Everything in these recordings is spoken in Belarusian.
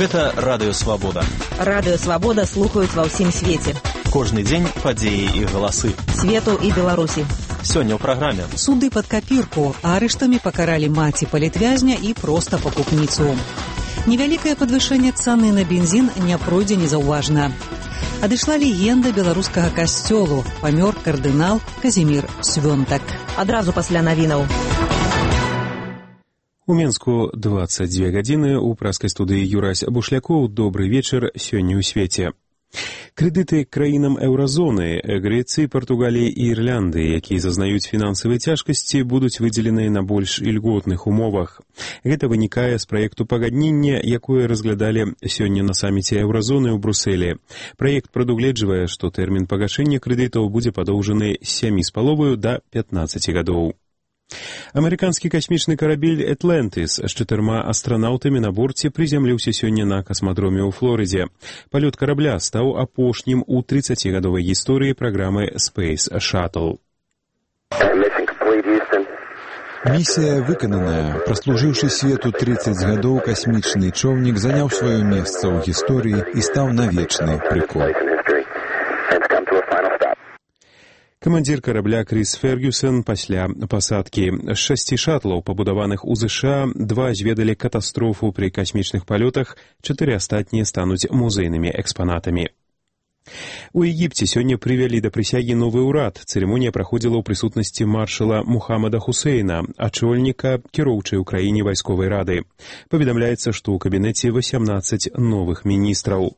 Гэта радыёвабода. Радыёвабода слухаюць ва ўсім свеце. Кожны дзень падзеі і галасы Свету і Беларусі. Сёння ў праграме. Суды пад капірку. Арыштамі пакаралі маці палітвязня і проста пакупніцу. Невялікае падвышэнне цаны на бензін не пройдзе незаўважна. Адышла легенда беларускага касцёлу. Памёр кардынал Казімір Свёнтак. Адразу пасля навінаў. У Менску 22 гадзіны. У праскай студыі Юрась Бушлякоў. Добры вечар сёння ў свеце. Крэдыты краінам еўразоны, Грэцыі, Партугаліі і Ірлянды, якія зазнаюць фінансавай цяжкасці, будуць выдзеленыя на больш ільготных умовах. Гэта вынікае з праекту пагаднення, якое разглядалі сёння на саміце еўразоны ў Брусэлі. Праект прадугледжвае, што тэрмін пагашэння крэдытаў будзе падоўжаны з 7,5 да 15 гадоў. Амерыканскі касмічны карабель «Атлантыс» з 4 астранаўтамі на борце прызямліўся сёння на касмадроме ў Флорыдзе. Палёт карабля стаў апошнім у 30-гадовай гісторыі праграмы Space Shuttle. Місія выкананая. Праслужыўшы свету 30 гадоў, касмічны чоўнік заняў сваё месца ў гісторыі і стаў на вечны прыкол. Камандзір карабля Крыс Фергюсон пасля пасадкі. З 6 шатлаў, пабудаваных у ЗША, 2 зведалі катастрофу пры касмічных палётах, 4 астатнія стануць музейнымі экспанатамі. У Егіпце сёння прывялі да прысягі новы ўрад. Цырымонія праходзіла ў прысутнасці маршала Мухаммада Хусейна, ачольніка кіроўчай у краіне вайсковай рады. Паведамляецца, што ў кабінеце 18 новых міністраў.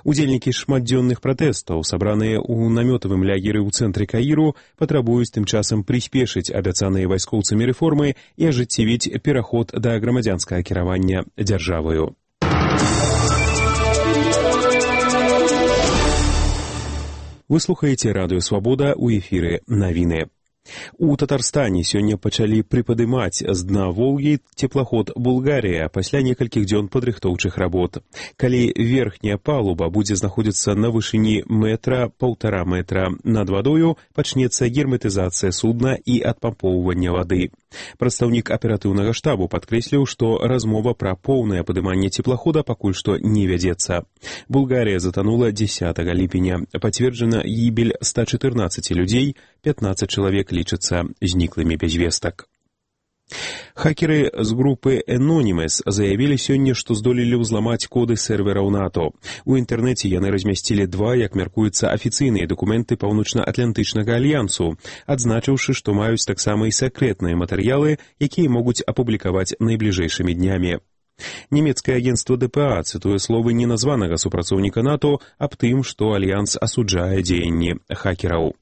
Удзельнікі шматдзённых пратэстаў, сабраныя ў намётавым лягеры ў цэнтры Каіру, патрабуюць тым часам прыспешыць абяцаныя вайскоўцамі рэформы і ажыццявіць пераход да грамадзянскага кіравання дзяржаваю. Вы слухаеце радыёвабода, у эфіры навіны. У Татарстане сёння пачалі прыпадымаць з дна Волгі цеплаход «Булгарія» пасля некалькіх дзён падрыхтоўчых работ. Калі верхняя палуба будзе знаходзіцца на вышыні 1,5 метра над вадою, пачнецца герметызацыя судна і адпампоўванне вады. Прадстаўнік аператыўнага штабу падкрэсліў, што размова пра поўнае падыманне цеплахода пакуль што не вядзецца. Булгарія затанула 10 ліпеня. Пацверджана гібель 114 людзей, 15 чалавек лічацца зніклымі без вестак. Хакеры з групы Anonymous заявілі сёння, што здолелі ўзламаць коды сервераў НАТО. У інтэрнэце яны размясцілі 2, як мяркуецца, афіцыйныя дакументы Паўночна-Атлантычнага альянсу, адзначыўшы, што маюць таксама і сакрэтныя матэрыялы, якія могуць апублікаваць найбліжэйшымі днямі. Нямецкае агенцтва ДПА цытуе словы неназванага супрацоўніка НАТО аб тым, што альянс асуджае дзеянні хакераў.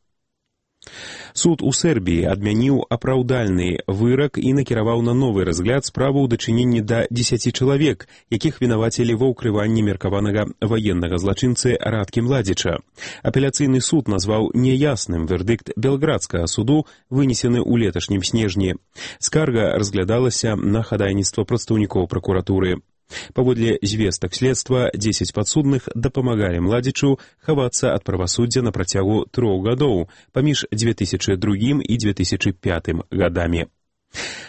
Суд у Сербіі адмяніў апраўдальны вырак і накіраваў на новы разгляд справу ў дачыненні да 10 чалавек, якіх вінавацілі ва ўкрыванні меркаванага ваеннага злачынцы Радкі Младзіча. Апеляцыйны суд назваў няясным вердыкт белградскага суду, вынесены ў леташнім снежні. Скарга разглядалася на хадайніцтва прадстаўнікоў пракуратуры. Паводле звестак следства, 10 падсудных дапамагалі Младзічу хавацца ад правасуддзя на працягу 3 гадоў паміж 2002 і 2005 гадамі.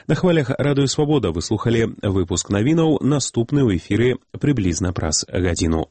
На хвалях радыёвабода вы слухалі выпуск навінаў, наступны ў эфіры прыблізна праз гадзіну.